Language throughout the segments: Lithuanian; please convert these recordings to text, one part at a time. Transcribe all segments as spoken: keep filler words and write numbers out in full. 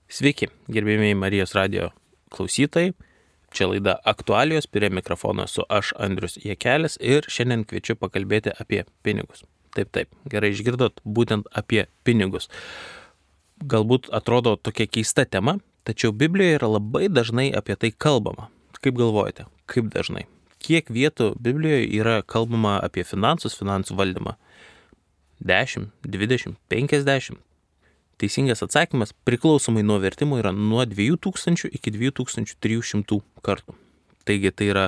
Sveiki, gerbėmiai Marijos radijo klausytojai. Čia laida Aktualijos, prie mikrofono esu aš, Andrius Jekelis, ir šiandien kviečiu pakalbėti apie pinigus. Taip, taip, gerai išgirdot, būtent apie pinigus. Galbūt atrodo tokia keista tema, tačiau Biblijoje yra labai dažnai apie tai kalbama. Kaip galvojate, kaip dažnai? Kiek vietų Biblijoje yra kalbama apie finansus, finansų valdymą? dešimt, dvidešimt, penkiasdešimt. Teisingas atsakymas priklausomai nuo vertimo yra nuo dviejų tūkstančių iki dviejų tūkstančių trijų šimtų kartų. Taigi tai yra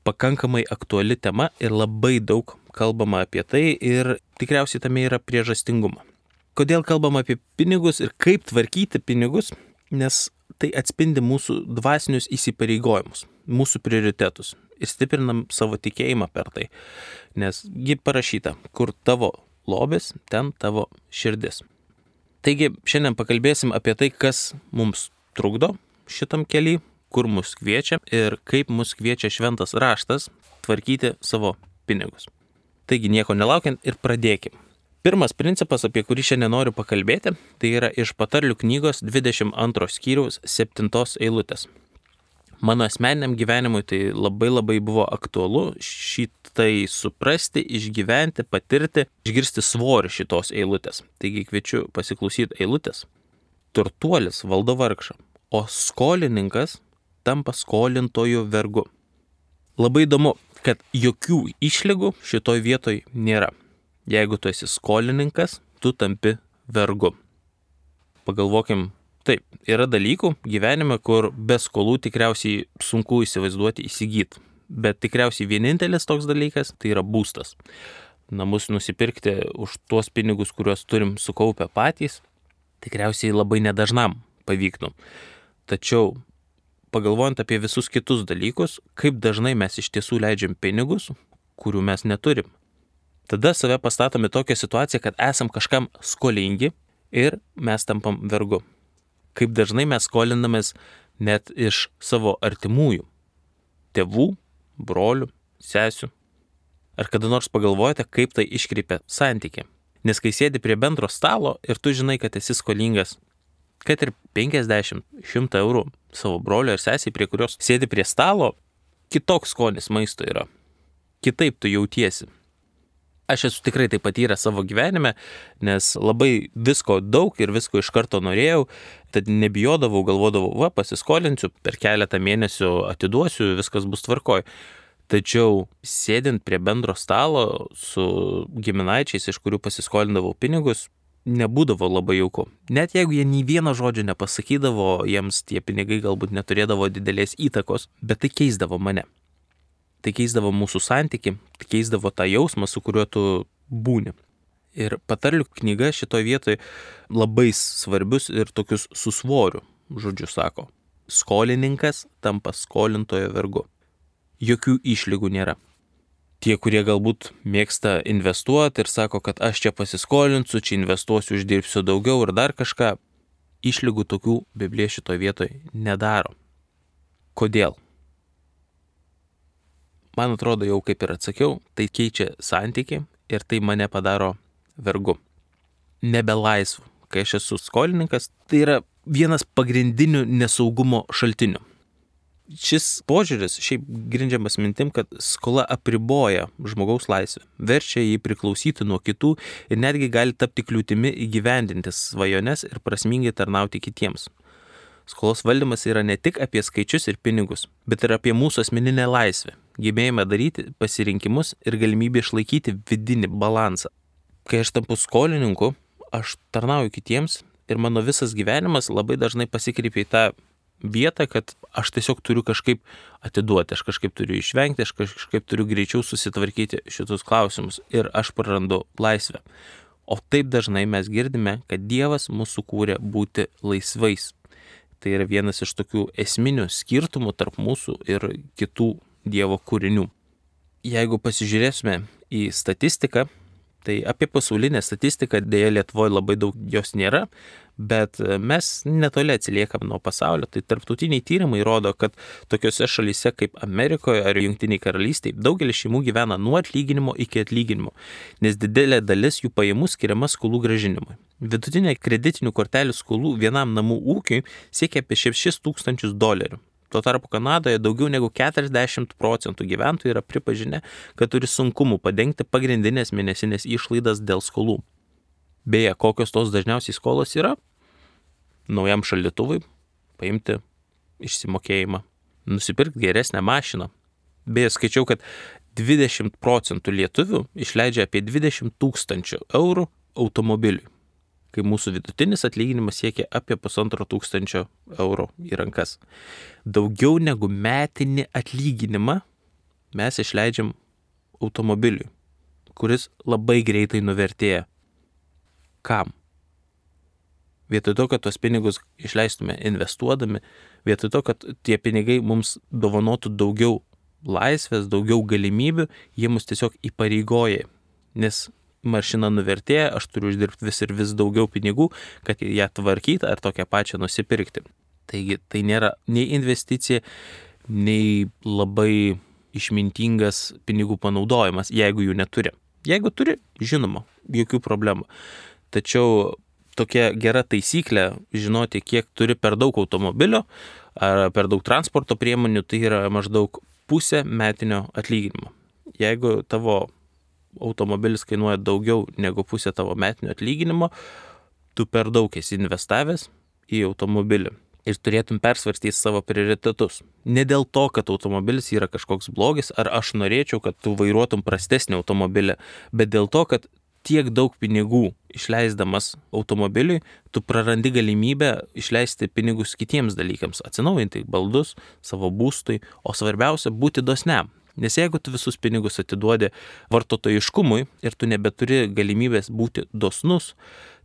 pakankamai aktuali tema ir labai daug kalbama apie tai ir tikriausiai tame yra priežastingumo. Kodėl kalbama apie pinigus ir kaip tvarkyti pinigus? Nes tai atspindi mūsų dvasinius įsipareigojimus, mūsų prioritetus ir stiprinam savo tikėjimą per tai. Nes gi parašyta, kur tavo lobis, ten tavo širdis. Taigi šiandien pakalbėsim apie tai, kas mums trukdo šitam kely, kur mus kviečia ir kaip mus kviečia šventas raštas tvarkyti savo pinigus. Taigi nieko nelaukiant ir pradėkim. Pirmas principas, apie kurį šiandien noriu pakalbėti, tai yra iš Patarlių knygos dvidešimt antro skyriaus septintos eilutės. Mano asmeniniam gyvenimui tai labai labai buvo aktualu šitai suprasti, išgyventi, patirti, išgirsti svorį šitos eilutės. Taigi kviečiu pasiklausyti eilutės. Turtuolis valdo vargšą, o skolininkas tampa skolintojų vergu. Labai įdomu, kad jokių išlygų šitoj vietoj nėra. Jeigu tu esi skolininkas, tu tampi vergu. Pagalvokim. Taip, yra dalykų gyvenime, kur be skolų tikriausiai sunku įsivaizduoti įsigyti, bet tikriausiai vienintelis toks dalykas tai yra būstas. Namus nusipirkti už tuos pinigus, kuriuos turim sukaupę patys, tikriausiai labai nedažnam pavyktų. Tačiau pagalvojant apie visus kitus dalykus, kaip dažnai mes iš tiesų leidžiam pinigus, kurių mes neturim. Tada save pastatome tokią situaciją, kad esam kažkam skolingi ir mes tampam vergu. Kaip dažnai mes skolinamės net iš savo artimųjų, tėvų, brolių, sesių. Ar kada nors pagalvojate, kaip tai iškreipia santykį? Nes kai sėdi prie bendro stalo ir tu žinai, kad esi skolingas, kad ir penkiasdešimt, šimtą eurų savo brolio ir sesiai, prie kurios sėdi prie stalo, kitoks skonis maisto yra. Kitaip tu jautiesi. Aš esu tikrai tai patyręs savo gyvenime, nes labai visko daug ir visko iš karto norėjau, tad nebijodavau, galvodavau, va, pasiskolinsiu, per keletą mėnesių atiduosiu, viskas bus tvarkoj. Tačiau sėdint prie bendro stalo su giminaičiais, iš kurių pasiskolindavau pinigus, nebūdavo labai jauku. Net jeigu jie nei vieno žodžio nepasakydavo, jiems tie pinigai galbūt neturėdavo didelės įtakos, bet tai keisdavo mane. Tai keisdavo mūsų santykį, tai keisdavo tą jausmą, su kuriuo tu būni. Ir Patarlių knyga šitoje vietoje labai svarbius ir tokius su svoriu žodžius sako. Skolininkas tampa skolintojo vergu. Jokių išlygų nėra. Tie, kurie galbūt mėgsta investuoti ir sako, kad aš čia pasiskolinsiu, čia investuosiu, uždirbsiu daugiau ir dar kažką, išlygų tokių Biblija šitoje vietoje nedaro. Kodėl? Man atrodo, jau kaip ir atsakiau, tai keičia santykį ir tai mane padaro vergu. Nebelaisvu. Kai aš esu skolininkas, tai yra vienas pagrindinių nesaugumo šaltinių. Šis požiūris šiaip grindžiamas mintim, kad skola apriboja žmogaus laisvę, verčia jį priklausyti nuo kitų ir netgi gali tapti kliūtimi įgyvendinti svajones ir prasmingai tarnauti kitiems. Skolos valdymas yra ne tik apie skaičius ir pinigus, bet ir apie mūsų asmeninę laisvę, gebėjimą daryti pasirinkimus ir galimybę išlaikyti vidinį balansą. Kai aš tampu skolininku, aš tarnauju kitiems ir mano visas gyvenimas labai dažnai pasikreipia į tą vietą, kad aš tiesiog turiu kažkaip atiduoti, aš kažkaip turiu išvengti, aš kažkaip turiu greičiau susitvarkyti šitus klausimus ir aš prarandu laisvę. O taip dažnai mes girdime, kad Dievas mus sukūrė būti laisvais. Tai yra vienas iš tokių esminių skirtumų tarp mūsų ir kitų Dievo kūrinių. Jeigu pasižiūrėsime į statistiką, tai apie pasaulinę statistiką dėja Lietuvoje labai daug jos nėra, Bet mes netoli atsiliekam nuo pasaulio, tai tarptautiniai tyrimai rodo, kad tokiose šalyse kaip Amerikoje ar Jungtiniai karalystėje daugelis šeimų gyvena nuo atlyginimo iki atlyginimo, nes didelė dalis jų pajamų skiriama skolų grąžinimui. Vidutinė kreditinių kortelių skolų vienam namų ūkiui siekia apie šešis tūkstančius dolerių. Tuo tarpu Kanadoje daugiau negu keturiasdešimt procentų gyventojų yra pripažinę, kad turi sunkumų padengti pagrindinės mėnesinės išlaidas dėl skolų. Beje, kokios tos dažniausiai skolos yra? Naujam šaldytuvui paimti išsimokėjimą, nusipirkti geresnę mašiną. Beje, skaičiau, kad dvidešimt procentų lietuvių išleidžia apie dvidešimt tūkstančių eurų automobiliui, kai mūsų vidutinis atlyginimas siekia apie pusantro tūkstančio eurų į rankas. Daugiau negu metinį atlyginimą mes išleidžiam automobiliui, kuris labai greitai nuvertėja. Kam? Vietoj to, kad tos pinigus išleistume investuodami, vietoj to, kad tie pinigai mums dovanotų daugiau laisvės, daugiau galimybių, jie mus tiesiog įpareigoja, nes mašina nuvertėja, aš turiu uždirbti vis ir vis daugiau pinigų, kad ją tvarkyti ar tokią pačią nusipirkti. Taigi tai nėra nei investicija, nei labai išmintingas pinigų panaudojimas, jeigu jų neturi. Jeigu turi, žinoma, jokių problemų. Tačiau tokia gera taisyklė žinoti, kiek turi per daug automobilio ar per daug transporto priemonių, tai yra maždaug pusė metinio atlyginimo. Jeigu tavo automobilis kainuoja daugiau negu pusė tavo metinio atlyginimo, tu per daug esi investavęs į automobilį ir turėtum persvarstyti savo prioritetus. Ne dėl to, kad automobilis yra kažkoks blogis, ar aš norėčiau, kad tu vairuotum prastesnį automobilį, bet dėl to, kad tiek daug pinigų išleisdamas automobiliui, tu prarandi galimybę išleisti pinigus kitiems dalykams, atsinaujinti baldus, savo būstui, o svarbiausia būti dosniam. Nes jeigu tu visus pinigus atiduodi vartotojiškumui ir tu nebeturi galimybės būti dosnus,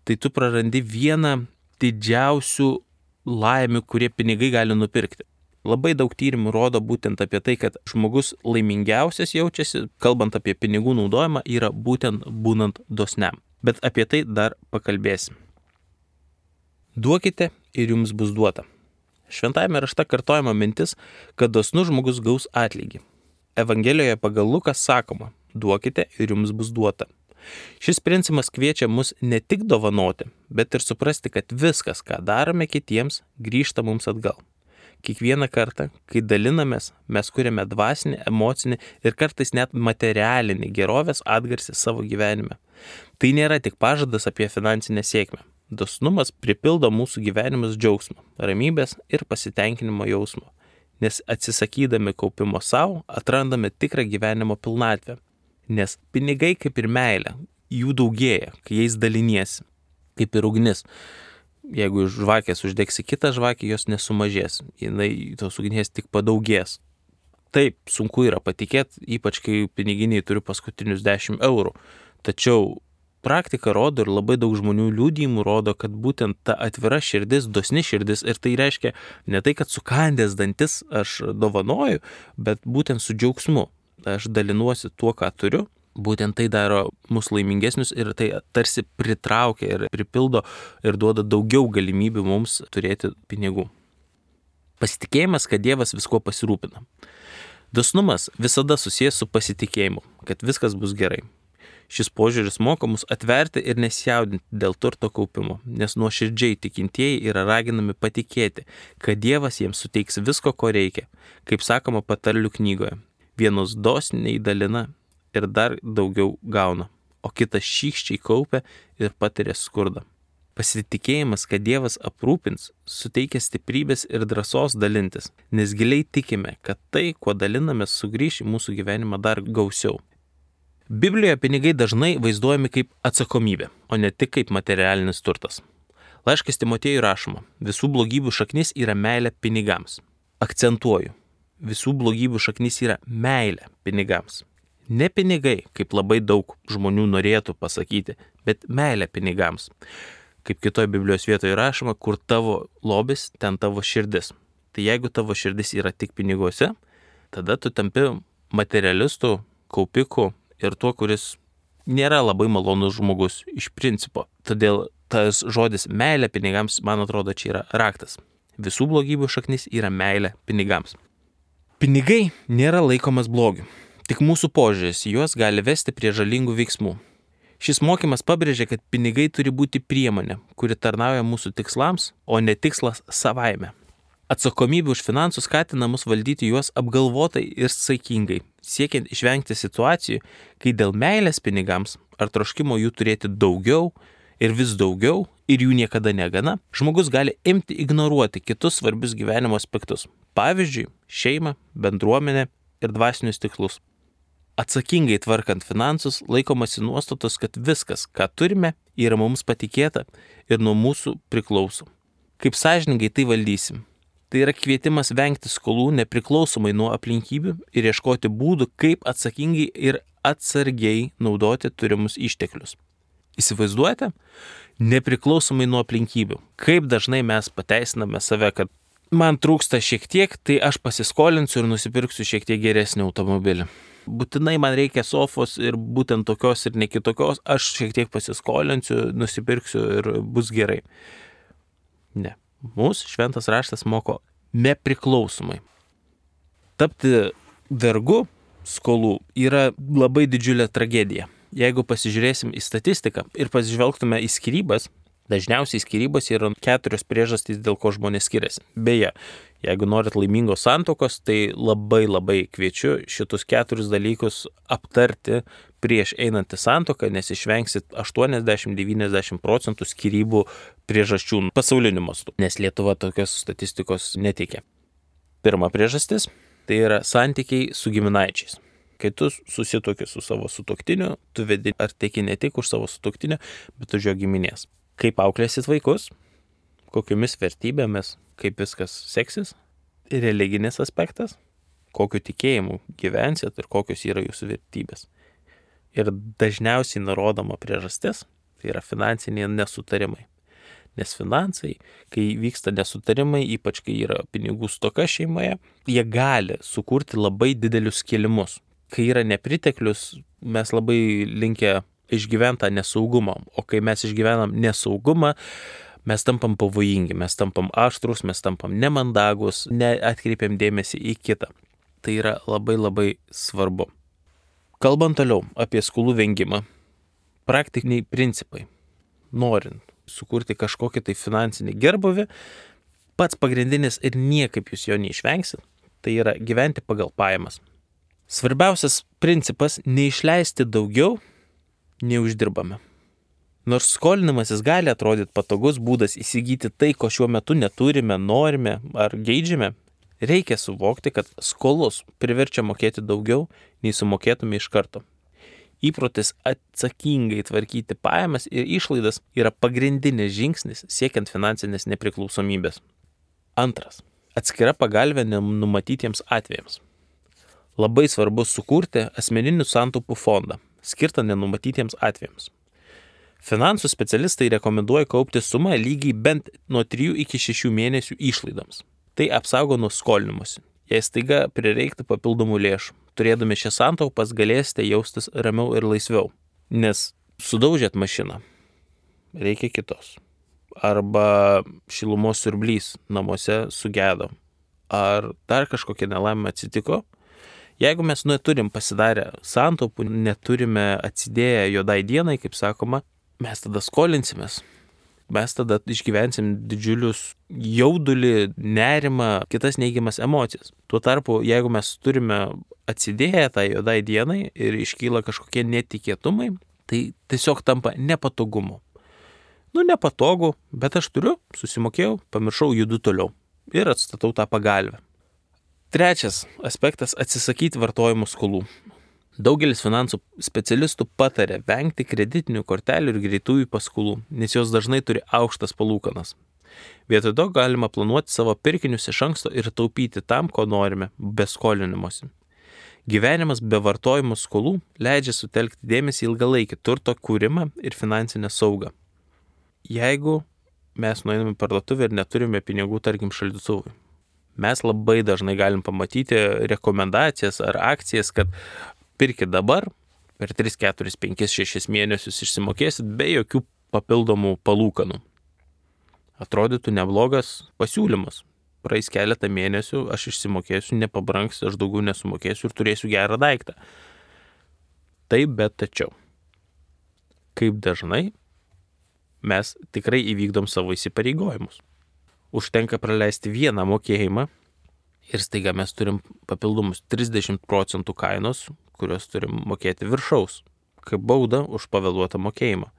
tai tu prarandi vieną didžiausių laimių, kurie pinigai gali nupirkti. Labai daug tyrimų rodo būtent apie tai, kad žmogus laimingiausias jaučiasi, kalbant apie pinigų naudojimą, yra būtent būnant dosniam. Bet apie tai dar pakalbėsim. Duokite ir jums bus duota. Šventajame rašte kartojama mintis, kad dosnus žmogus gaus atlygį. Evangelijoje pagal Luką sakoma, duokite ir jums bus duota. Šis principas kviečia mus ne tik dovanoti, bet ir suprasti, kad viskas, ką darome kitiems, grįžta mums atgal. Kiekvieną kartą, kai dalinamės, mes kuriame dvasinį, emocinį ir kartais net materialinį gerovės atgarsį savo gyvenime. Tai nėra tik pažadas apie finansinę sėkmę. Dosnumas pripildo mūsų gyvenimus džiaugsmo, ramybės ir pasitenkinimo jausmo, nes atsisakydami kaupimo savo, atrandame tikrą gyvenimo pilnatvę. Nes pinigai kaip ir meilė, jų daugėja, kai jais daliniesi, kaip ir ugnis. Jeigu iš žvakės uždegsi kitą žvakę, jos nesumažės, jinai tos ugnies tik padaugės. Taip, sunku yra patikėti, ypač kai piniginiai turi paskutinius dešimt eurų. Tačiau praktika rodo ir labai daug žmonių liudijimų rodo, kad būtent ta atvira širdis, dosni širdis, ir tai reiškia ne tai, kad sukandęs dantis aš dovanoju, bet būtent su džiaugsmu. Aš dalinuosi tuo, ką turiu. Būtent tai daro mus laimingesnius ir tai tarsi pritraukia ir pripildo ir duoda daugiau galimybių mums turėti pinigų. Pasitikėjimas, kad Dievas viskuo pasirūpina. Dosnumas visada susijęs su pasitikėjimu, kad viskas bus gerai. Šis požiūris moko mus atverti ir nesijaudinti dėl turto kaupimo, nes nuoširdžiai tikintieji yra raginami patikėti, kad Dievas jiems suteiks visko, ko reikia, kaip sakoma patarlių knygoje. Vienus dosniai dalina ir dar daugiau gauna, o kitas šykščiai kaupia ir patiria skurdą. Pasitikėjimas, kad Dievas aprūpins, suteikia stiprybės ir drąsos dalintis, nes giliai tikime, kad tai, kuo dalinamės, sugrįš į mūsų gyvenimą dar gausiau. Biblijoje pinigai dažnai vaizduojami kaip atsakomybė, o ne tik kaip materialinis turtas. Laiškas Timotiejui rašoma, visų blogybių šaknis yra meilė pinigams. Akcentuoju, visų blogybių šaknis yra meilė pinigams. Ne pinigai, kaip labai daug žmonių norėtų pasakyti, bet meilė pinigams. Kaip kitoje Biblijos vietoje rašoma, kur tavo lobis, ten tavo širdis. Tai jeigu tavo širdis yra tik piniguose, tada tu tampi materialistų, kaupikų ir tuo, kuris nėra labai malonus žmogus iš principo. Todėl tas žodis meilė pinigams, man atrodo, čia yra raktas. Visų blogybių šaknis yra meilė pinigams. Pinigai nėra laikomas blogiu. Tik mūsų požiūris juos gali vesti prie žalingų veiksmų. Šis mokymas pabrėžia, kad pinigai turi būti priemonė, kuri tarnauja mūsų tikslams, o ne tikslas savaime. Atsakomybė už finansus skatina mus valdyti juos apgalvotai ir saikingai, siekiant išvengti situacijų, kai dėl meilės pinigams ar troškimo jų turėti daugiau ir vis daugiau ir jų niekada negana, žmogus gali imti ignoruoti kitus svarbius gyvenimo aspektus. Pavyzdžiui, šeimą, bendruomenę ir dvasinius tikslus. Atsakingai tvarkant finansus laikomasi nuostatos, kad viskas, ką turime, yra mums patikėta ir nuo mūsų priklauso. Kaip sąžiningai tai valdysim? Tai yra kvietimas vengti skolų nepriklausomai nuo aplinkybių ir ieškoti būdų, kaip atsakingai ir atsargiai naudoti turimus išteklius. Įsivaizduojate? Nepriklausomai nuo aplinkybių. Kaip dažnai mes pateisiname save, kad man trūksta šiek tiek, tai aš pasiskolinsiu ir nusipirksiu šiek tiek geresnį automobilį. Būtinai man reikia sofos ir būtent tokios ir ne kitokios, aš šiek tiek pasiskolinsiu, nusipirksiu ir bus gerai. Ne. Mūsų šventas raštas moko nepriklausomai. Tapti vergu skolų yra labai didžiulė tragedija. Jeigu pasižiūrėsim į statistiką ir pasižvelgtume į skyrybas, dažniausiai skyrybos yra keturios priežastys, dėl ko žmonės skiriasi. Beje, jeigu norit laimingos santuokos, tai labai labai kviečiu šitus keturis dalykus aptarti prieš einant į santuoką, nes išvengsit aštuoniasdešimt iki devyniasdešimt procentų skyrybų priežasčių pasauliniu mastu, nes Lietuva tokios statistikos neteikia. Pirma priežastis – tai yra santykiai su giminaičiais. Kai tu susituoki su savo sutuoktiniu, tu vedi ar teki ne tik už savo sutuoktinio, bet už jo giminės. Kaip auklėsit vaikus, kokiomis vertybėmis, kaip viskas seksis, religinis aspektas, kokiu tikėjimu gyvensit ir kokios yra jūsų vertybės. Ir dažniausiai nurodoma priežastis, tai yra finansiniai nesutarimai. Nes finansai, kai vyksta nesutarimai, ypač kai yra pinigų stoka šeimoje, jie gali sukurti labai didelius skilimus. Kai yra nepriteklius, mes labai linkę išgyventą nesaugumą, o kai mes išgyvenam nesaugumą, mes tampam pavojingi, mes tampam aštrus, mes tampam nemandagus, neatkreipiam dėmesį į kitą. Tai yra labai labai svarbu. Kalbant toliau apie skolų vengimą, praktiniai principai. Norint sukurti kažkokį tai finansinį gerbuvį, pats pagrindinis ir niekaip jūs jo neišvengsit, tai yra gyventi pagal pajamas. Svarbiausias principas – neišleisti daugiau, nei uždirbame. Nors skolinimasis gali atrodyti patogus būdas įsigyti tai, ko šiuo metu neturime, norime ar geidžiame, reikia suvokti, kad skolos priverčia mokėti daugiau, nei sumokėtume iš karto. Įprotis atsakingai tvarkyti pajamas ir išlaidas yra pagrindinis žingsnis siekiant finansinės nepriklausomybės. Antras. Atskira pagalvė nenumatytiems atvejams. Labai svarbu sukurti asmeninių santaupų fondą, skirtą nenumatytiems atvejams. Finansų specialistai rekomenduoja kaupti sumą lygiai bent nuo trijų iki šešių mėnesių išlaidoms. Tai apsaugo nuo skolinimuose. Jei staiga prireiktų papildomų lėšų, turėdami šias santaupas galėsite jaustis ramiau ir laisviau. Nes sudaužėt mašiną, reikia kitos. Arba šilumos siurblys namuose sugedo. Ar dar kažkokia nelaimė atsitiko. Jeigu mes neturim pasidarę santaupų, neturime atsidėję juodai dienai, kaip sakoma, mes tada skolinsimės. Mes tada išgyvensim didžiulius jaudulį, nerimą, kitas neigiamas emocijas. Tuo tarpu, jeigu mes turime atsidėję tą juodai dienai ir iškyla kažkokie netikėtumai, tai tiesiog tampa nepatogumu. Nu, nepatogu, bet aš turiu, susimokėjau, pamiršau, judu toliau ir atstatau tą pagalvę. Trečias aspektas – atsisakyti vartojimo skolų. Daugelis finansų specialistų patarė vengti kreditinių kortelių ir greitųjų paskolų, nes jos dažnai turi aukštas palūkanas. Vietoj to galima planuoti savo pirkinius iš anksto ir taupyti tam, ko norime, be skolinimosi. Gyvenimas be vartojimo skolų leidžia sutelkti dėmesį ilgalaikį turto kūrimą ir finansinę saugą. Jeigu mes nueiname į parduotuvę ir neturime pinigų, tarkim, šaldytuvui, mes labai dažnai galim pamatyti rekomendacijas ar akcijas, kad pirkit dabar, per tris, keturis, penkis, šešis mėnesius išsimokėsit be jokių papildomų palūkanų. Atrodytų neblogas pasiūlymas. Praeis keletą mėnesių, aš išsimokėsiu, nepabrangs, aš daugiau nesumokėsiu ir turėsiu gerą daiktą. Taip, bet tačiau. Kaip dažnai mes tikrai įvykdom savo įsipareigojimus. Užtenka praleisti vieną mokėjimą ir staiga mes turim papildomus trisdešimt procentų kainos, kurios turim mokėti viršaus, kaip bauda už pavėluotą mokėjimą.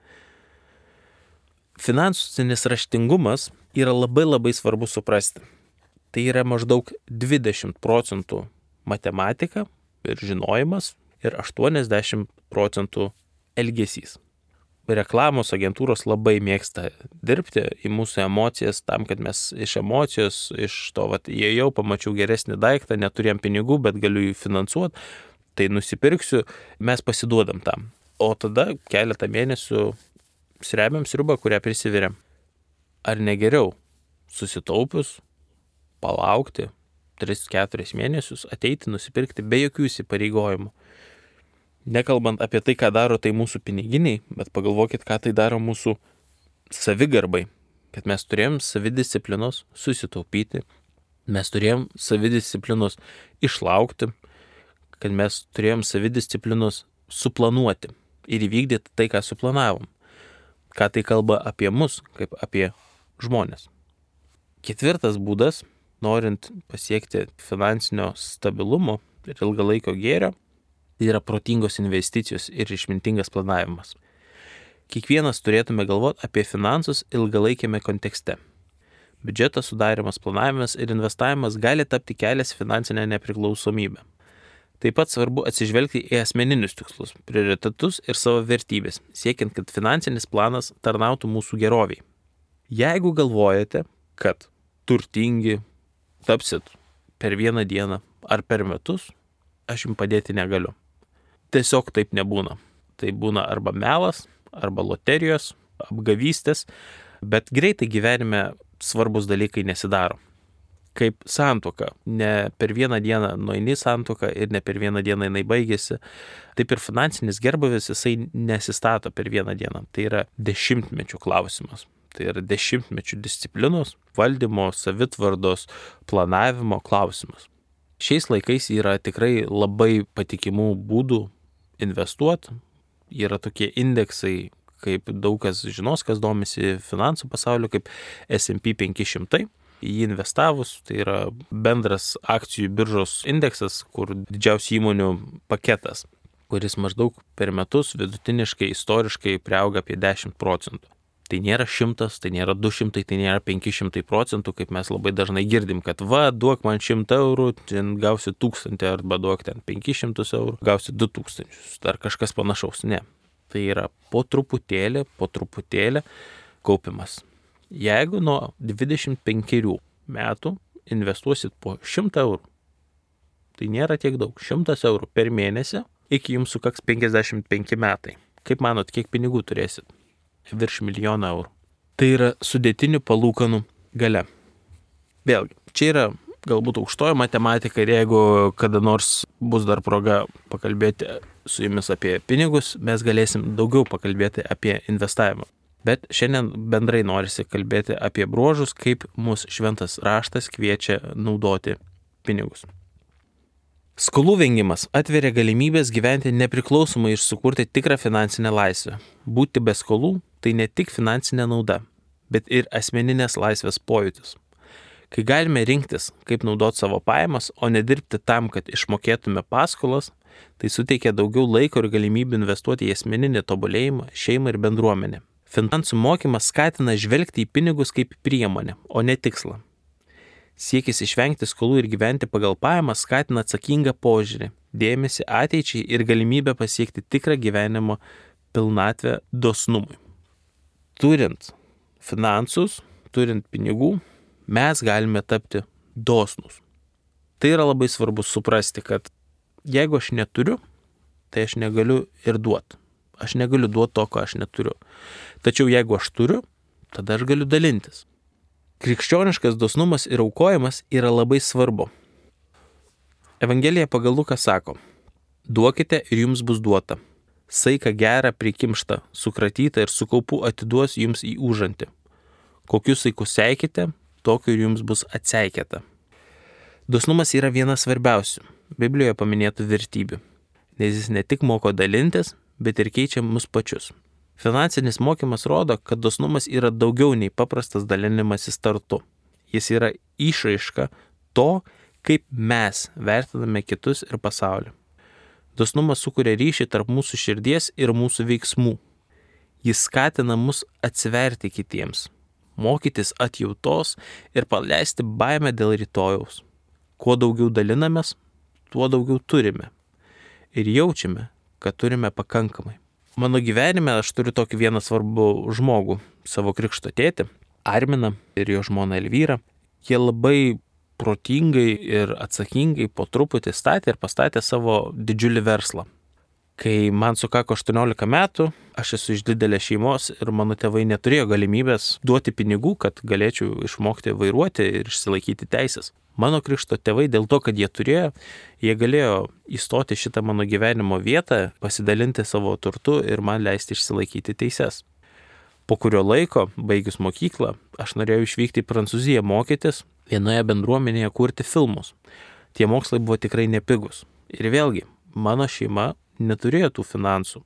Finansinis raštingumas yra labai labai svarbu suprasti. Tai yra maždaug dvidešimt procentų matematika ir žinojimas ir aštuoniasdešimt procentų elgesys. Reklamos agentūros labai mėgsta dirbti į mūsų emocijas tam, kad mes iš emocijos, iš to, vat, jie jau pamačiau geresnį daiktą, neturėjom pinigų, bet galiu jį finansuoti, tai nusipirksiu, mes pasiduodam tam. O tada keletą mėnesių srebiam sriubą, kurią prisiviriam. Ar negeriau susitaupius, palaukti tris keturis mėnesius, ateiti, nusipirkti be jokių įsipareigojimų. Nekalbant apie tai, ką daro tai mūsų piniginiai, bet pagalvokit, ką tai daro mūsų savigarbai. Kad mes turėjom savidisciplinos susitaupyti, mes turėjom savidisciplinos išlaukti, kad mes turėjom savidisciplinos suplanuoti ir įvykdyti tai, ką suplanavom. Ką tai kalba apie mus, kaip apie žmonės. Ketvirtas būdas, norint pasiekti finansinio stabilumo ir ilgalaikio gėrio, tai yra protingos investicijos ir išmintingas planavimas. Kiekvienas turėtume galvoti apie finansus ilgalaikėme kontekste. Biudžeto sudarimas, planavimas ir investavimas gali tapti kelias finansinę nepriklausomybę. Taip pat svarbu atsižvelgti į asmeninius tikslus, prioritetus ir savo vertybės, siekiant, kad finansinis planas tarnautų mūsų geroviai. Jeigu galvojate, kad turtingi tapsit per vieną dieną ar per metus, aš jums padėti negaliu. Tiesiog taip nebūna. Tai būna arba melas, arba loterijos, apgavystės, bet greitai gyvenime svarbus dalykai nesidaro. Kaip santuoka. Ne per vieną dieną nueini santuoką ir ne per vieną dieną jinai baigėsi. Taip ir finansinis gerbūvis jisai nesistato per vieną dieną. Tai yra dešimtmečių klausimas. Tai yra dešimtmečių disciplinos, valdymo, savitvardos, planavimo klausimas. Šiais laikais yra tikrai labai patikimų būdų investuoti. Yra tokie indeksai, kaip daug kas žinos, kas domisi finansų pasauliu, kaip S and P penki šimtai. Jį investavus, tai yra bendras akcijų biržos indeksas, kur didžiausių įmonių paketas, kuris maždaug per metus vidutiniškai, istoriškai priauga apie dešimt procentų. Tai nėra šimtas, tai nėra du šimtai, tai nėra penki šimtai procentų, kaip mes labai dažnai girdim, kad va, duok man šimtą eurų, ten gausi tūkstantį, arba duok ten penkis šimtus eurų, gausi du tūkstančius, ar kažkas panašaus. Ne. Tai yra po truputėlį, po truputėlį kaupimas. Jeigu nuo dvidešimt penkerių metų investuosit po šimtą eurų, tai nėra tiek daug, šimtas eurų per mėnesį, iki jums sukaks penkiasdešimt penki metai. Kaip manot, kiek pinigų turėsit? Virš milijoną eurų. Tai yra sudėtinių palūkanų galia. Vėlgi, čia yra galbūt aukštoji matematika ir jeigu kada nors bus dar proga pakalbėti su jumis apie pinigus, mes galėsim daugiau pakalbėti apie investavimą. Bet šiandien bendrai norisi kalbėti apie bruožus, kaip mūsų šventas raštas kviečia naudoti pinigus. Skolų vengimas atveria galimybės gyventi nepriklausomai ir sukurti tikrą finansinę laisvę. Būti be skolų tai ne tik finansinė nauda, bet ir asmeninės laisvės pojūtis. Kai galime rinktis, kaip naudoti savo pajamas, o nedirbti tam, kad išmokėtume paskolas, tai suteikia daugiau laiko ir galimybių investuoti į asmeninį tobulėjimą, šeimą ir bendruomenę. Finansų mokymas skatina žvelgti į pinigus kaip priemonę, o ne tikslą. Siekis išvengti skolų ir gyventi pagal pajamas skatina atsakingą požiūrį, dėmesį ateičiai ir galimybę pasiekti tikrą gyvenimo pilnatvę dosnumui. Turint finansus, turint pinigų, mes galime tapti dosnus. Tai yra labai svarbu suprasti, kad jeigu aš neturiu, tai aš negaliu ir duoti. Aš negaliu duoti to, ko aš neturiu. Tačiau jeigu aš turiu, tada aš galiu dalintis. Krikščioniškas dosnumas ir aukojimas yra labai svarbu. Evangelija pagal Luką sako: duokite ir jums bus duota. Saiką gerą prikimštą, sukratytą ir su kaupu atiduos jums į užantį. Kokius saikus seikite, tokiu ir jums bus atseikėta. Dosnumas yra viena svarbiausių Biblijoje paminėtų vertybių, nes jis ne tik moko dalintis, bet ir keičia mus pačius. Finansinis mokymas rodo, kad dosnumas yra daugiau nei paprastas dalinimasis turtu. Jis yra išraiška to, kaip mes vertiname kitus ir pasaulį. Dosnumas sukuria ryšį tarp mūsų širdies ir mūsų veiksmų. Jis skatina mus atsiverti kitiems, mokytis atjautos ir paleisti baimę dėl rytojaus. Kuo daugiau dalinamės, tuo daugiau turime. Ir jaučiame, kad turime pakankamai. Mano gyvenime aš turiu tokį vieną svarbų žmogų, savo krikšto tėtį, Arminą ir jo žmoną Elvyrą. Jie labai protingai ir atsakingai po truputį statė ir pastatė savo didžiulį verslą. Kai man sukako aštuoniolika metų, aš esu iš didelės šeimos ir mano tėvai neturėjo galimybės duoti pinigų, kad galėčiau išmokti vairuoti ir išsilaikyti teisės. Mano krikšto tėvai dėl to, kad jie turėjo, jie galėjo įstoti šitą mano gyvenimo vietą, pasidalinti savo turtu ir man leisti išsilaikyti teises. Po kurio laiko, baigius mokyklą, aš norėjau išvykti į Prancūziją mokytis, vienoje bendruomenėje kurti filmus. Tie mokslai buvo tikrai nepigus. Ir vėlgi, mano šeima neturėjo tų finansų.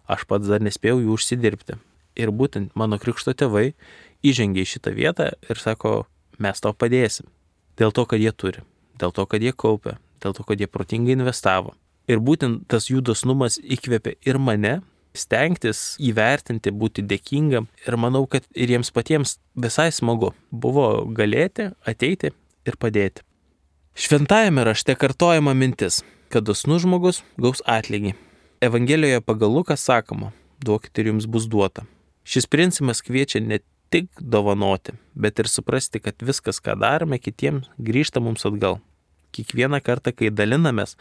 Aš pats dar nespėjau jų užsidirbti. Ir būtent mano krikšto tėvai įžengė į šitą vietą ir sako, mes tau padėsim. Dėl to, kad jie turi, dėl to, kad jie kaupia, dėl to, kad jie protingai investavo. Ir būtent tas jų dosnumas įkvėpė ir mane stengtis, įvertinti, būti dėkingam. Ir manau, kad ir jiems patiems visai smagu buvo galėti, ateiti ir padėti. Šventajame rašte kartojama mintis, kad dosnus žmogus gaus atlygį. Evangelijoje pagal Luką sakoma, duokite ir jums bus duota. Šis principas kviečia ne tik dovanoti, bet ir suprasti, kad viskas, ką darome kitiems, grįžta mums atgal. Kiekvieną kartą, kai dalinamės,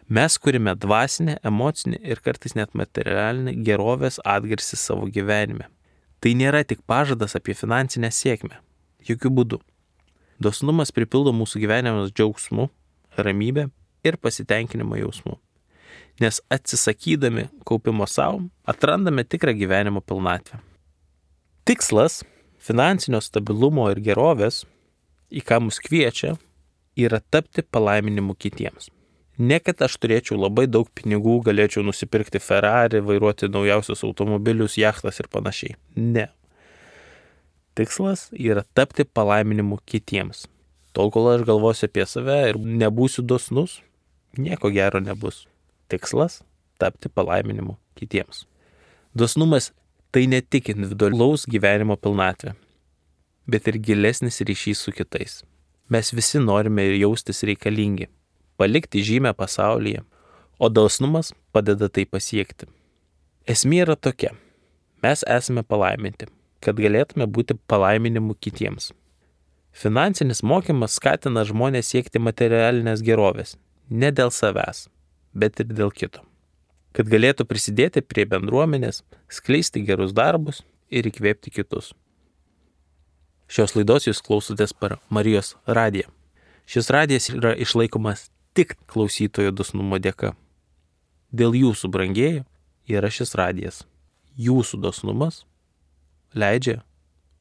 mes kurime dvasinę, emocinę ir kartais net materialinę gerovės atgarsį savo gyvenime. Tai nėra tik pažadas apie finansinę sėkmę. Jokių būdų. Dosnumas pripildo mūsų gyvenimus džiaugsmu, ramybė ir pasitenkinimo jausmu. Nes atsisakydami kaupimo savo, atrandame tikrą gyvenimo pilnatvę. Tikslas finansinio stabilumo ir gerovės, į ką mus kviečia, yra tapti palaiminimu kitiems. Ne kad aš turėčiau labai daug pinigų, galėčiau nusipirkti Ferrari, vairuoti naujausius automobilius, jachtas ir panašiai. Ne. Tikslas yra tapti palaiminimu kitiems. Tol, kol aš galvosiu apie save ir nebūsiu dosnus, nieko gero nebus. Tikslas tapti palaiminimu kitiems. Dosnumas tai ne tik individualaus gyvenimo pilnatvė, bet ir gilesnis ryšys su kitais. Mes visi norime ir jaustis reikalingi, palikti žymę pasaulyje, o dosnumas padeda tai pasiekti. Esmė yra tokia. Mes esame palaiminti, kad galėtume būti palaiminimu kitiems. Finansinis mokymas skatina žmonės siekti materialinės gerovės, ne dėl savęs, bet ir dėl kito. Kad galėtų prisidėti prie bendruomenės, skleisti gerus darbus ir įkvėpti kitus. Šios laidos jūs klausotės per Marijos radiją. Šis radijas yra išlaikomas tik klausytojo dosnumo dėka. Dėl jūsų brangieji yra šis radijas. Jūsų dosnumas leidžia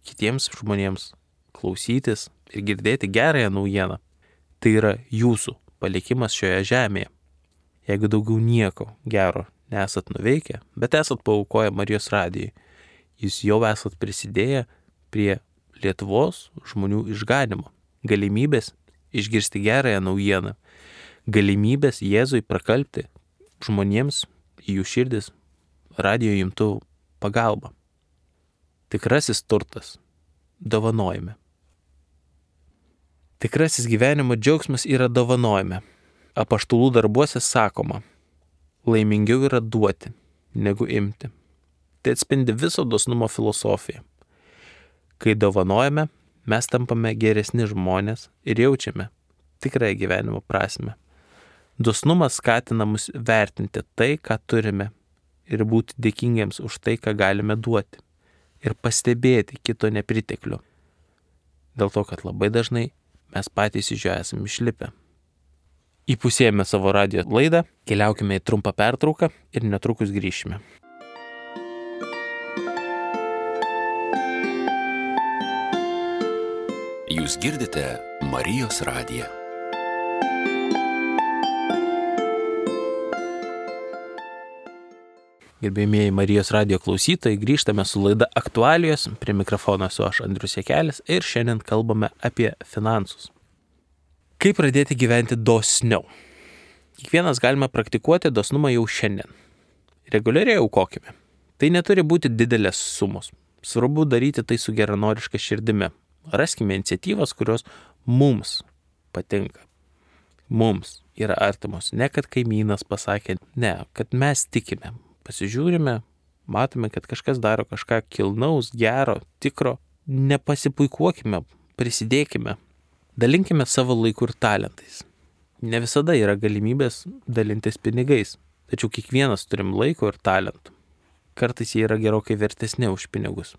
kitiems žmonėms klausytis ir girdėti gerąją naujieną. Tai yra jūsų palikimas šioje žemėje. Jeigu daugiau nieko gero nesat nuveikę, bet esat paaukoję Marijos radijai, jūs jau esat prisidėję prie Lietuvos žmonių išganimo, galimybės išgirsti gerąją naujieną, galimybės Jėzui prakalbti žmonėms į jų širdis radijo imtuvų pagalba. Tikrasis turtas dovanojime. Tikrasis gyvenimo džiaugsmas yra dovanojime. Apaštalų darbuose sakoma, laimingiau yra duoti, negu imti. Tai atspindi viso dosnumo filosofiją. Kai dovanojame, mes tampame geresni žmonės ir jaučiame tikrąją gyvenimo prasmę. Dosnumas skatina mus vertinti tai, ką turime ir būti dėkingiems už tai, ką galime duoti ir pastebėti kito nepriteklių. Dėl to, kad labai dažnai mes patys iš jo esame išlipę. įpusėjame savo radijo laidą, keliaukime į trumpą pertrauką ir netrukus grįšime. Jūs girdite Marijos radiją. Gerbėjimieji Marijos radijo klausytojai, grįžtame su laida Aktualijos, prie mikrofono esu aš Andrius Jakelis ir šiandien kalbame apie finansus. Kaip pradėti gyventi dosniau? Kiekvienas galime praktikuoti dosnumą jau šiandien. Reguliariai aukokime. Tai neturi būti didelės sumos. Svarbu daryti tai su geranoriška širdimi. Raskime iniciatyvas, kurios mums patinka. Mums yra artimos. Ne kad kaimynas pasakė, ne, kad mes tikime. Pasižiūrime, matome, kad kažkas daro kažką kilnaus, gero, tikro. Nepasipuikuokime, prisidėkime. Dalinkime savo laiku ir talentais. Ne visada yra galimybės dalintis pinigais, tačiau kiekvienas turim laiko ir talentų. Kartais jie yra gerokai vertesni už pinigus.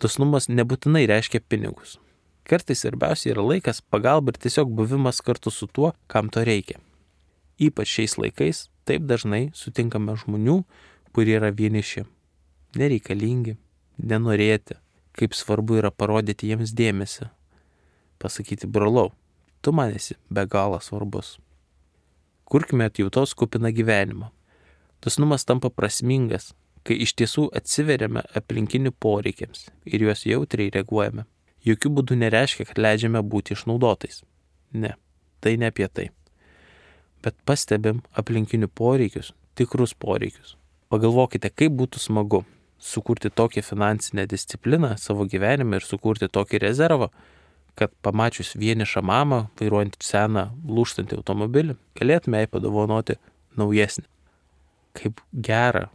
Dosnumas nebūtinai reiškia pinigus. Kartais svarbiausia yra laikas, pagalba ir tiesiog buvimas kartu su tuo, kam to reikia. Ypač šiais laikais taip dažnai sutinkame žmonių, kurie yra vieniši, nereikalingi, nenorėti, kaip svarbu yra parodyti jiems dėmesį. Pasakyti, brolau, tu man esi be galo svarbus. Kurkime atjautos kupiną gyvenimą. Dosnumas tampa prasmingas, kai iš tiesų atsiveriame aplinkinių poreikiams ir juos jautriai reaguojame. Jokių būdų nereiškia, kad leidžiame būti išnaudotais. Ne, tai ne apie tai. Bet pastebim aplinkinių poreikius, tikrus poreikius. Pagalvokite, kaip būtų smagu sukurti tokią finansinę discipliną savo gyvenime ir sukurti tokį rezervą, kad pamačius vienišą mamą, vairuojant seną, lūžtantį automobilį, galėtume jai padovanoti naujesnį. Kaip gera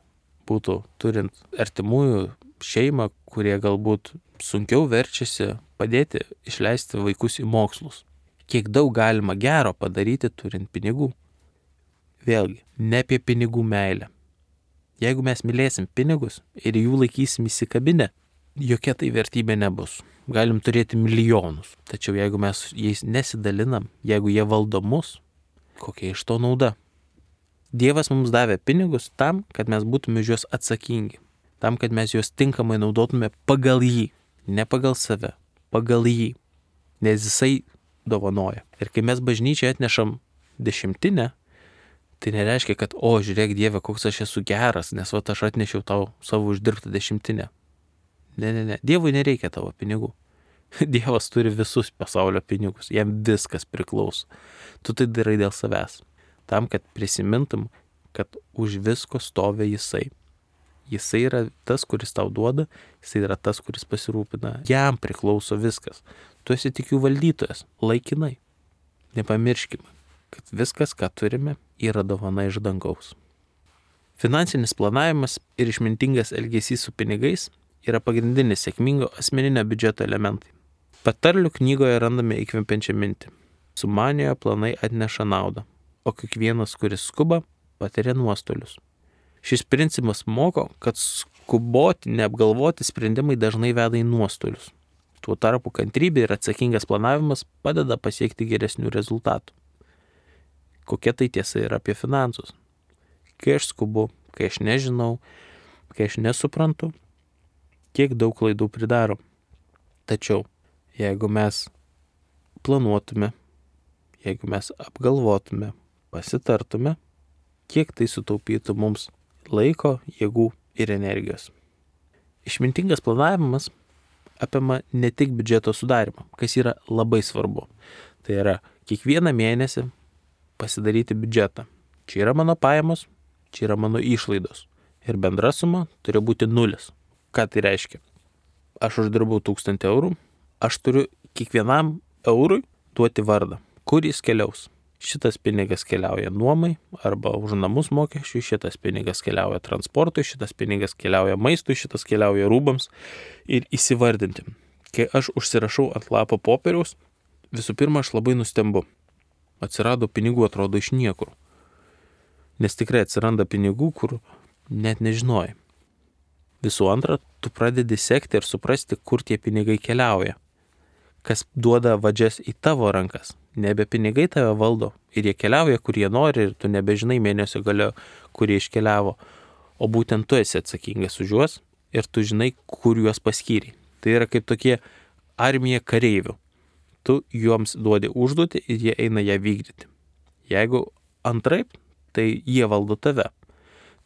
būtų turint artimųjų šeimą, kurie galbūt sunkiau verčiasi padėti išleisti vaikus į mokslus. Kiek daug galima gero padaryti turint pinigų. Vėlgi, ne apie pinigų meilę. Jeigu mes mylėsim pinigus ir jų laikysim įsikabinę, jokia tai vertybė nebus. Galim turėti milijonus, tačiau jeigu mes jais nesidalinam, jeigu jie valdo mus, kokia iš to nauda? Dievas mums davė pinigus tam, kad mes būtume už juos atsakingi, tam, kad mes juos tinkamai naudotume pagal jį, ne pagal save, pagal jį, nes jisai dovanoja. Ir kai mes bažnyčiai atnešam dešimtinę, tai nereiškia, kad, o, žiūrėk Dieve, koks aš esu geras, nes va aš atnešiau tau savo uždirbtą dešimtinę. Ne, ne, ne, Dievui nereikia tavo pinigų. Dievas turi visus pasaulio pinigus, jam viskas priklauso. Tu tai darai dėl savęs. Tam, kad prisimintum, kad už visko stovi jisai. Jisai yra tas, kuris tau duoda, jisai yra tas, kuris pasirūpina. Jam priklauso viskas. Tu esi tik jų valdytojas, laikinai. Nepamirškime, kad viskas, ką turime, yra dovana iš dangaus. Finansinis planavimas ir išmintingas elgesys su pinigais yra pagrindinis sėkmingo asmeninio biudžeto elementai. Patarlių knygoje randame įkvepiančią mintį. Sumaniojo planai atneša naudą, o kiekvienas, kuris skuba, patiria nuostolius. Šis principas moko, kad skuboti, neapgalvoti sprendimai dažnai veda į nuostolius. Tuo tarpu kantrybė ir atsakingas planavimas padeda pasiekti geresnių rezultatų. Kokia tai tiesa yra apie finansus? Kai aš skubu, kai aš nežinau, kai aš nesuprantu, kiek daug klaidų pridaro. Tačiau, jeigu mes planuotume, jeigu mes apgalvotume, pasitartume, kiek tai sutaupytų mums laiko, jėgų ir energijos. Išmintingas planavimas apima ne tik biudžeto sudarimą, kas yra labai svarbu. Tai yra kiekvieną mėnesį pasidaryti biudžetą. Čia yra mano pajamos, čia yra mano išlaidos. Ir bendra suma turi būti nulis. Ką tai reiškia? Aš uždirbau tūkstantį eurų, aš turiu kiekvienam eurui duoti vardą, kur jis keliaus. Šitas pinigas keliauja nuomai arba už namus mokesčiui, šitas pinigas keliauja transportui, šitas pinigas keliauja maistui, šitas keliauja rūbams ir įsivardinti. Kai aš užsirašau ant lapo popieriaus, visų pirma aš labai nustembu. Atsirado pinigų atrodo iš niekur. Nes tikrai atsiranda pinigų, kur net nežinojai. Visų antra, tu pradedi sekti ir suprasti, kur tie pinigai keliauja. kas duoda vadžias į tavo rankas. Nebe pinigai tave valdo ir jie keliauja, kur jie nori ir tu nebežinai mėnesio galio, kur jie iškeliavo, o būtent tu esi atsakingas už juos ir tu žinai, kur juos paskyri. Tai yra kaip tokie armija kareivių. Tu joms duodi užduotį ir jie eina ją vykdyti. Jeigu antraip, tai jie valdo tave.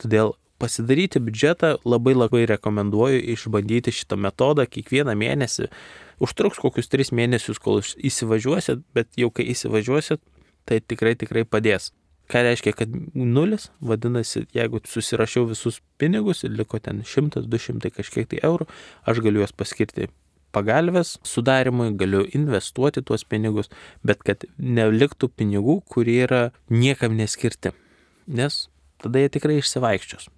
Todėl pasidaryti biudžetą labai labai rekomenduoju išbandyti šitą metodą kiekvieną mėnesį. Užtruks kokius tris mėnesius, kol įsivažiuosit, bet jau kai įsivažiuosit, tai tikrai tikrai padės. Ką reiškia, kad nulis, vadinasi, jeigu susirašiau visus pinigus ir liko ten šimtas, du šimtai kažkiek tai eurų, aš galiu juos paskirti pagalvės sudarimui, galiu investuoti tuos pinigus, bet kad neliktų pinigų, kurie yra niekam neskirti, nes tada jie tikrai išsivaikščios.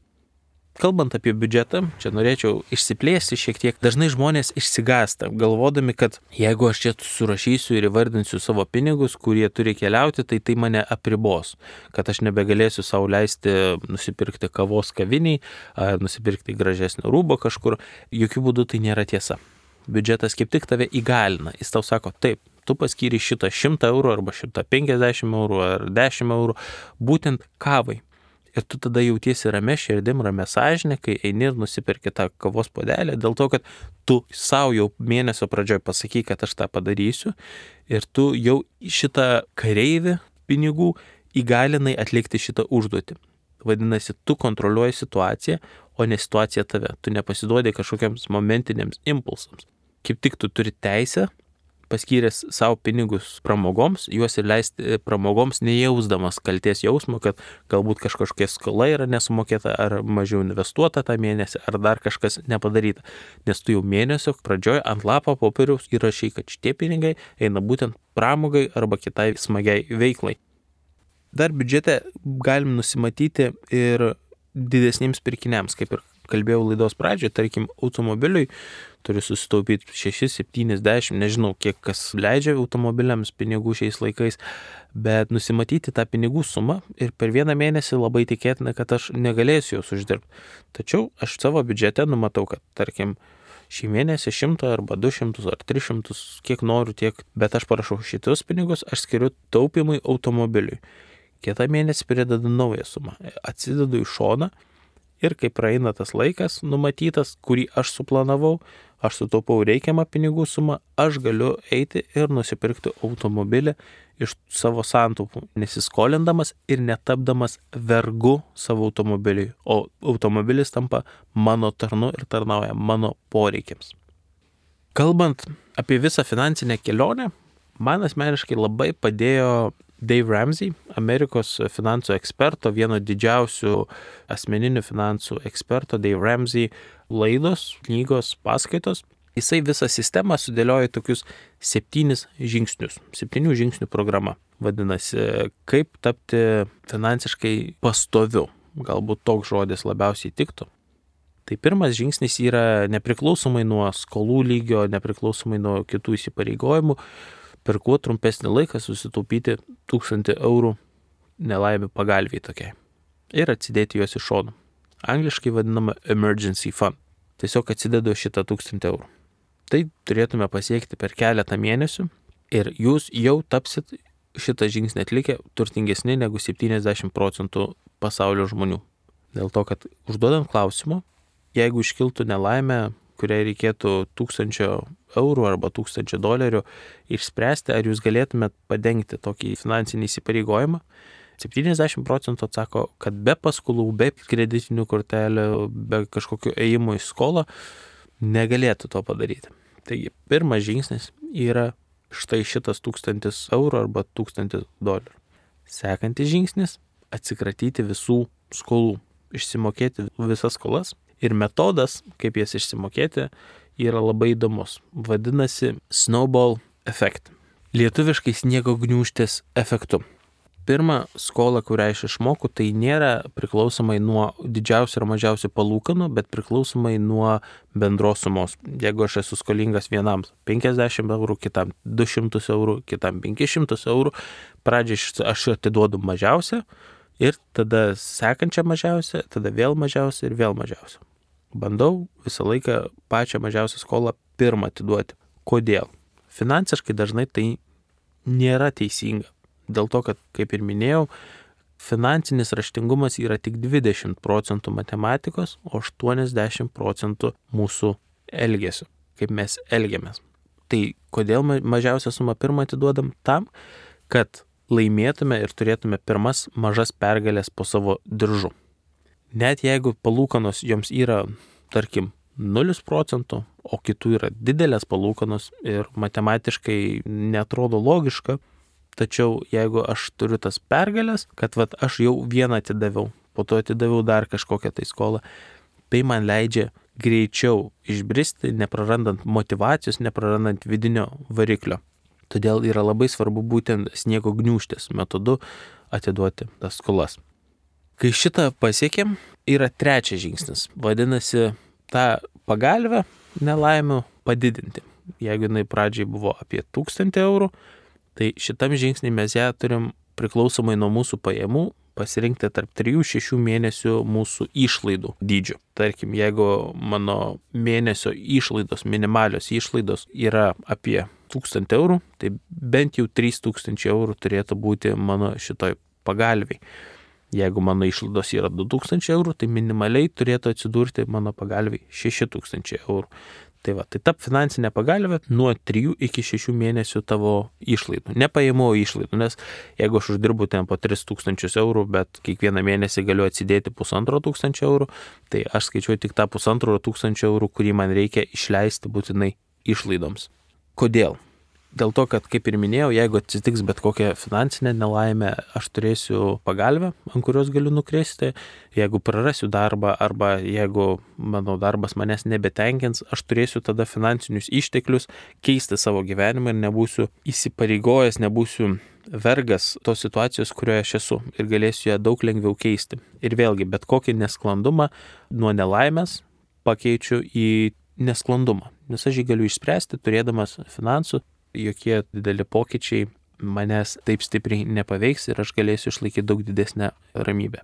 Kalbant apie biudžetą, čia norėčiau išsiplėsti šiek tiek. Dažnai žmonės išsigąsta, galvodami, kad jeigu aš čia surašysiu ir įvardinsiu savo pinigus, kurie turi keliauti, tai tai mane apribos. Kad aš nebegalėsiu sau leisti nusipirkti kavos kaviniai, ar nusipirkti gražesnio rūbo kažkur. Jokių būdų tai nėra tiesa. Biudžetas kaip tik tave įgalina. Jis tau sako, taip, tu paskyri šitą šimtą eurų arba šimtą penkiasdešimt eurų ar dešimt eurų būtent kavai. Ir tu tada jautiesi ramia širdim, ramia sąžinė, kai eini ir nusipirki tą kavos puodelį, dėl to, kad tu savo jau mėnesio pradžioj pasakai, kad aš tą padarysiu ir tu jau šitą kareivį pinigų įgalinai atlikti šitą užduotį. Vadinasi, tu kontroliuoji situaciją, o ne situacija tave. Tu nepasiduodi kažkokiams momentiniams impulsams. Kaip tik tu turi teisę paskyręs savo pinigus pramogoms, juos ir leisti pramogoms, nejausdamas kalties jausmo, kad galbūt kažkokia skola yra nesumokėta, ar mažiau investuota tą mėnesį, ar dar kažkas nepadaryta. Nes tu jau mėnesio pradžioje ant lapo popieriaus įrašai, kad šitie pinigai eina būtent pramogai arba kitai smagiai veiklai. Dar biudžete galim nusimatyti ir didesniems pirkiniams, kaip ir kalbėjau laidos pradžioje, tarkim, automobiliui turi susitaupyti šeši, septyni, dešimt, nežinau, kiek kas leidžia automobiliams pinigų šiais laikais, bet nusimatyti tą pinigų sumą ir per vieną mėnesį labai tikėtina, kad aš negalėsiu jos uždirbti. Tačiau aš savo biudžete numatau, kad, tarkim, šį mėnesį šimtą arba du šimtus ar tris šimtus, kiek noriu, tiek, bet aš parašau šitus pinigus, aš skiriu taupimui automobiliui. Kitą mėnesį pridedu naują sumą, atsidedu į šoną. Ir kai praeina tas laikas numatytas, kurį aš suplanavau, aš sutaupau reikiamą pinigų sumą, aš galiu eiti ir nusipirkti automobilį iš savo santaupų, nesiskolindamas ir netapdamas vergu savo automobiliui, o automobilis tampa mano tarnu ir tarnauja mano poreikiams. Kalbant apie visą finansinę kelionę, man asmeniškai labai padėjo Dave Ramsey, Amerikos finansų eksperto, vieno didžiausių asmeninių finansų eksperto Dave Ramsey laidos, knygos, paskaitos. Jisai visą sistemą sudėlioja tokius septynis žingsnius, septynių žingsnių programa. Vadinasi, kaip tapti finansiškai pastoviu. Galbūt toks žodis labiausiai tiktų. Tai pirmas žingsnis yra nepriklausomai nuo skolų lygio, nepriklausomai nuo kitų įsipareigojimų, per kuo trumpesnį laiką susitaupyti tūkstantį eurų nelaimė pagalviai tokiai ir atsidėti juos iš šono. Angliškai vadinama emergency fund. Tiesiog atsidedu šitą tūkstantį eurų. Tai turėtume pasiekti per keletą mėnesių ir jūs jau tapsit šitą žingsnį atlikę turtingesni negu septyniasdešimt procentų pasaulio žmonių. Dėl to, kad užduodant klausimą, jeigu iškiltų nelaimė, kuriai reikėtų tūkstančio eurų arba tūkstančio dolerių išspręsti, ar jūs galėtumėt padengti tokį finansinį įsipareigojimą, septyniasdešimt procentų atsako, kad be paskolų, be kreditinių kortelių, be kažkokio ėjimo į skolą negalėtų to padaryti. Taigi, pirmas žingsnis yra štai šitas tūkstantis eurų arba tūkstantis dolerių. Sekantis žingsnis – atsikratyti visų skolų, išsimokėti visas skolas. Ir metodas, kaip jas išsimokėti, yra labai įdomus. Vadinasi snowball effect. Lietuviškai sniego gniūžtės efektu. Pirma skola, kurią aš išmoku, tai nėra priklausomai nuo didžiausių ir mažiausių palūkanų, bet priklausomai nuo bendros sumos. Jeigu aš esu skolingas vienam penkiasdešimt eurų, kitam du šimtus eurų, kitam penkis šimtus eurų, pradžiai aš atiduodu mažiausią ir tada sekančią mažiausią, tada vėl mažiausią ir vėl mažiausią. Bandau visą laiką pačią mažiausią skolą pirmą atiduoti. Kodėl? finansiškai dažnai tai nėra teisinga. Dėl to, kad, kaip ir minėjau, finansinis raštingumas yra tik dvidešimt procentų matematikos, o aštuoniasdešimt procentų mūsų elgesio, kaip mes elgiamės. Tai kodėl mažiausią sumą pirmą atiduodam? Tam, kad laimėtume ir turėtume pirmas mažas pergalės po savo diržu. Net jeigu palūkanos joms yra, tarkim, nulis procentų, o kitų yra didelės palūkanos ir matematiškai netrodo logiška, tačiau jeigu aš turiu tas pergalės, kad vat, aš jau vieną atidaviau, po to atidaviau dar kažkokią tai skolą, tai man leidžia greičiau išbristi, neprarandant motyvacijos, neprarandant vidinio variklio. Todėl yra labai svarbu būtent sniego gniūžtės metodu atiduoti tas skolas. Kai šitą pasiekėm, yra trečias žingsnis. Vadinasi, tą pagalvę nelaimių padidinti. Jeigu jinai pradžiai buvo apie tūkstantį eurų, tai šitam žingsnį mes ją turim priklausomai nuo mūsų pajamų pasirinkti tarp trijų šešių mėnesių mūsų išlaidų dydžių. Tarkim, jeigu mano mėnesio išlaidos, minimalios išlaidos yra apie tūkstantį eurų, tai bent jau trys tūkstančiai eurų turėtų būti mano šitoj pagalviai. Jeigu mano išlaidos yra du tūkstančiai eurų, tai minimaliai turėtų atsidurti mano pagalviai šeši tūkstančiai eurų. Tai va, tai tap finansinė pagalvė nuo trijų iki šešių mėnesių tavo išlaidų. Ne pajamų, o išlaidų, nes jeigu aš uždirbu ten po tris tūkstančius eurų, bet kiekvieną mėnesį galiu atsidėti pusantro tūkstančio eurų, tai aš skaičiuoju tik tą pusantro tūkstančio eurų, kurį man reikia išleisti būtinai išlaidoms. Kodėl? Dėl to, kad, kaip ir minėjau, jeigu atsitiks bet kokia finansinė nelaimė, aš turėsiu pagalvę, ant kurios galiu nukrėsti. Jeigu prarasiu darbą arba jeigu mano darbas manęs nebetenkins, aš turėsiu tada finansinius išteklius keisti savo gyvenimą ir nebūsiu įsipareigojęs, nebūsiu vergas tos situacijos, kurioje aš esu ir galėsiu ją daug lengviau keisti. Ir vėlgi, bet kokį nesklandumą nuo nelaimės pakeičiu į nesklandumą, nes aš jį galiu išspręsti turėdamas finansų. Jokie dideli pokyčiai manęs taip stipriai nepaveiks ir aš galėsiu išlaikyti daug didesnę ramybę.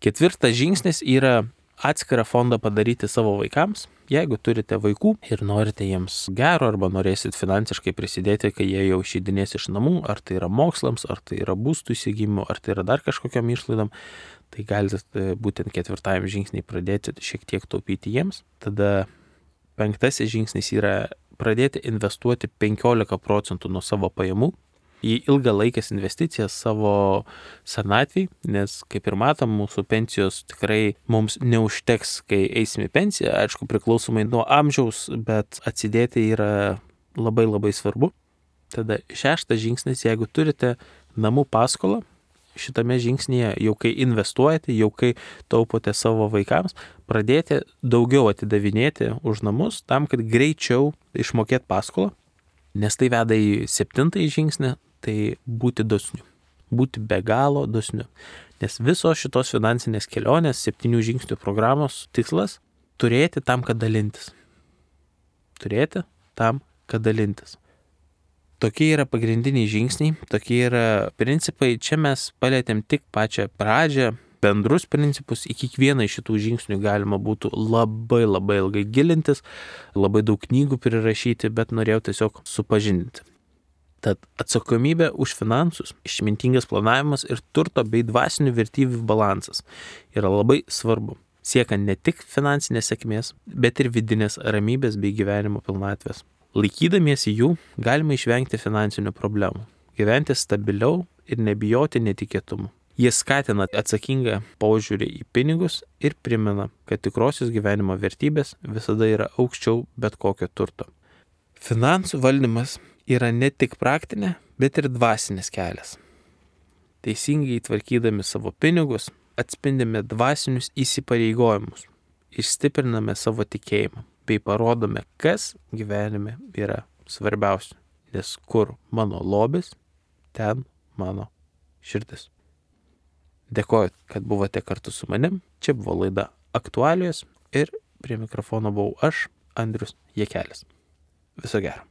Ketvirtas žingsnis yra atskirą fondą padaryti savo vaikams. Jeigu turite vaikų ir norite jiems gero arba norėsit finansiškai prisidėti, kai jie jau išeidinės iš namų, ar tai yra mokslams, ar tai yra būstų įsigijimų, ar tai yra dar kažkokiam išlaidom, tai galite būtent ketvirtajam žingsniai pradėti šiek tiek taupyti jiems. Tada penktasis žingsnis yra pradėti investuoti penkiolika procentų nuo savo pajamų į ilgalaikės investicijas savo senatvį, nes kaip ir matom, mūsų pensijos tikrai mums neužteks, kai eisime į pensiją, aišku, priklausomai nuo amžiaus, bet atsidėti yra labai labai svarbu. Tada šeštas žingsnis, jeigu turite namų paskolą, šitame žingsnėje, jau kai investuojate, jau kai taupote savo vaikams, pradėti daugiau atidavinėti už namus, tam, kad greičiau išmokėti paskolą, nes tai veda į septintąjį žingsnį, tai būti dosniu, būti be galo dosniu. Nes visos šitos finansinės kelionės, septynių žingsnių programos tikslas - turėti tam, kad dalintis. Turėti tam, kad dalintis. Tokie yra pagrindiniai žingsniai, tokie yra principai. Čia mes palėtėm tik pačią pradžią, bendrus principus. Į kiekvieną iš šitų žingsnių galima būtų labai labai ilgai gilintis, labai daug knygų prirašyti, bet norėjau tiesiog supažindinti. Tad atsakomybė už finansus, išmintingas planavimas ir turto bei dvasinių vertybių balansas yra labai svarbu, siekiant ne tik finansinės sėkmės, bet ir vidinės ramybės bei gyvenimo pilnatvės. Laikydamiesi jų, galima išvengti finansinių problemų, gyventi stabiliau ir nebijoti netikėtumų. Jie skatina atsakingą požiūrį į pinigus ir primena, kad tikrosios gyvenimo vertybės visada yra aukščiau bet kokio turto. Finansų valdymas yra ne tik praktinė, bet ir dvasinis kelias. Teisingai tvarkydami savo pinigus, atspindime dvasinius įsipareigojimus ir stipriname savo tikėjimą, bei parodome, kas gyvenime yra svarbiausia, nes kur mano lobis, ten mano širdis. Dėkoju, kad buvote kartu su manim. Čia buvo laida Aktualijos ir prie mikrofono buvau aš, Andrius Jakelis. Viso gero.